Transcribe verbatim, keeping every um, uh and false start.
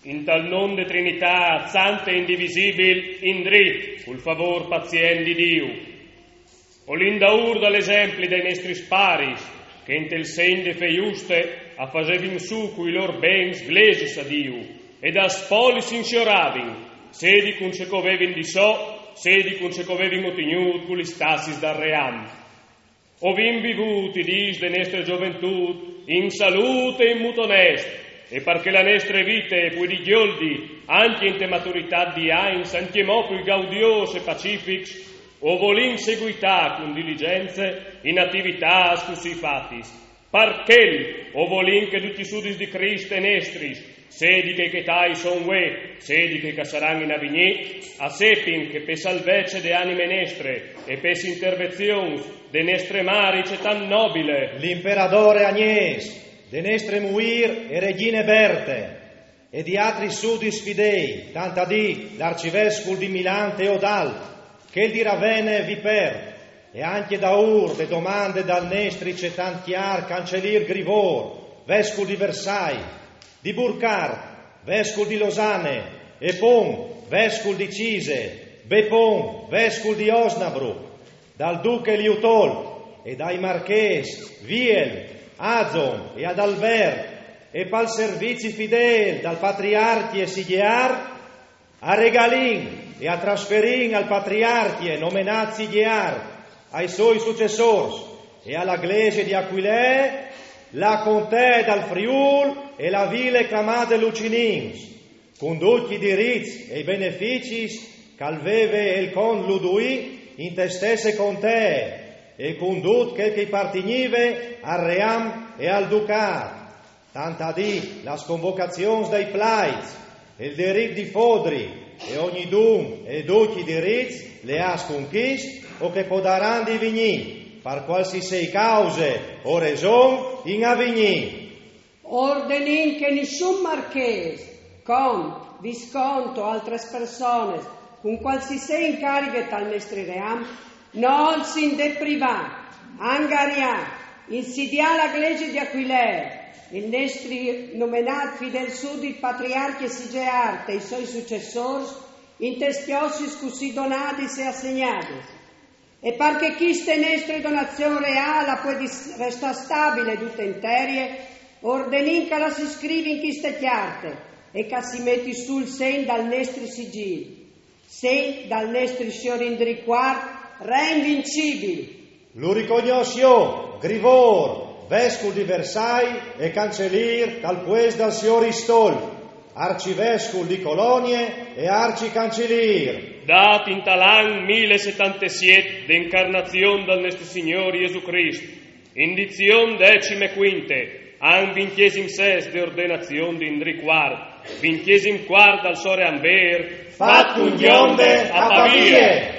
In tal non de Trinitât sante e indivisibil, indrì, cul favôr pazient di Diu. O lin daûr dal esempli dai nestris paris, che intel segn de fe juste a fasevin sù cui lôr bens glesis a Diu, e das polis insioravin, sedi cun ce che o vevin di so, sedi cun ce che o vevin otignût cu lis tassis dal ream. O vin vivût i dîs de nestre zoventût in salût e in mût onest, e par che la nestre vite e puedi gjoldi, ancje inte maturitât di agns, ancjemò plui gaudiôs e pacifics, o volìn seguitâ cun diligence in ativitâts cussì fatis. Par chel o volìn che ducj i sudits di Crist e nestris, sedi chei che tai son vuê, sedi chei che a saran in avignî, a sepin che pe salvece de anime nestre e pes intervenzions de nestre mari cetant nobile, l'imperadôr Agnês, de nestre muîr e regjine Berte, e di altris sudits fidei, tant a dî l'arcivescul di Milan Teodald, chel di Ravene Vipert, e ancje daûr de domande dal nestri cetant cjar cancelîr Grivôr, vescul di Versailles, di Burcard, vescul di Losane, e Pon, vescul di Cise, Bepon, vescul di Osnabrück, dal duche Liutol e dai marchês Viel, Azon e Adalbert, e pal servizi fidêl dal patriarcje Sigear, a regalìn e a trasferìn al patriarcje nomenât Sigear, ai soi sucessôrs e a la Glesie di Aquilee la contee dal Friûl e la vile clamade Lucinins, cun ducj i dirits e i beneficis che al veve il cont Luduì inte stesse contee, e cun dut chel che i partignive al ream e al ducât, tant a dî las convocazions dai plaids, il dirit di fodri, e ognidun e ducj i dirits leâts cun chist o che podaran divignî, par cualsisei cause o reson, in avignî. Ordenìn che nissun marchês, cont, viscont o altris personis cun cualsisei incarighe tal nestri ream no olsin deprivâ, angariâ, insidiâ la Glesie di Aquilee, il nestri nomenât fidêl sudit patriarcje Sigear e i soi sucessôrs intes cjossis cussì donadis e assegnadis. E par che chiste nestre donazion reâl a puedi restâ stabile dute interie, ordenìn che la si scrivi in chiste cjarte e che si meti sù il segn dal nestri sigîl, segn dal nestri siôr Indrì cuart, re invincibil. Lu ricognòs jo, Grivôr, vescul di Versailles e cancelîr tal puest dal siôr Istolf, arcivescul di Colonie e arcicancelîr. Dât intal an mil e setantesiet de incarnazion dal nestri Signôr Jesù Crist, in dizion decime cuinte, an vincjesim sest de ordenazion di Indrì cuart, vincjesim cuart dal so ream vêr, fat cun gjonde a Pavie.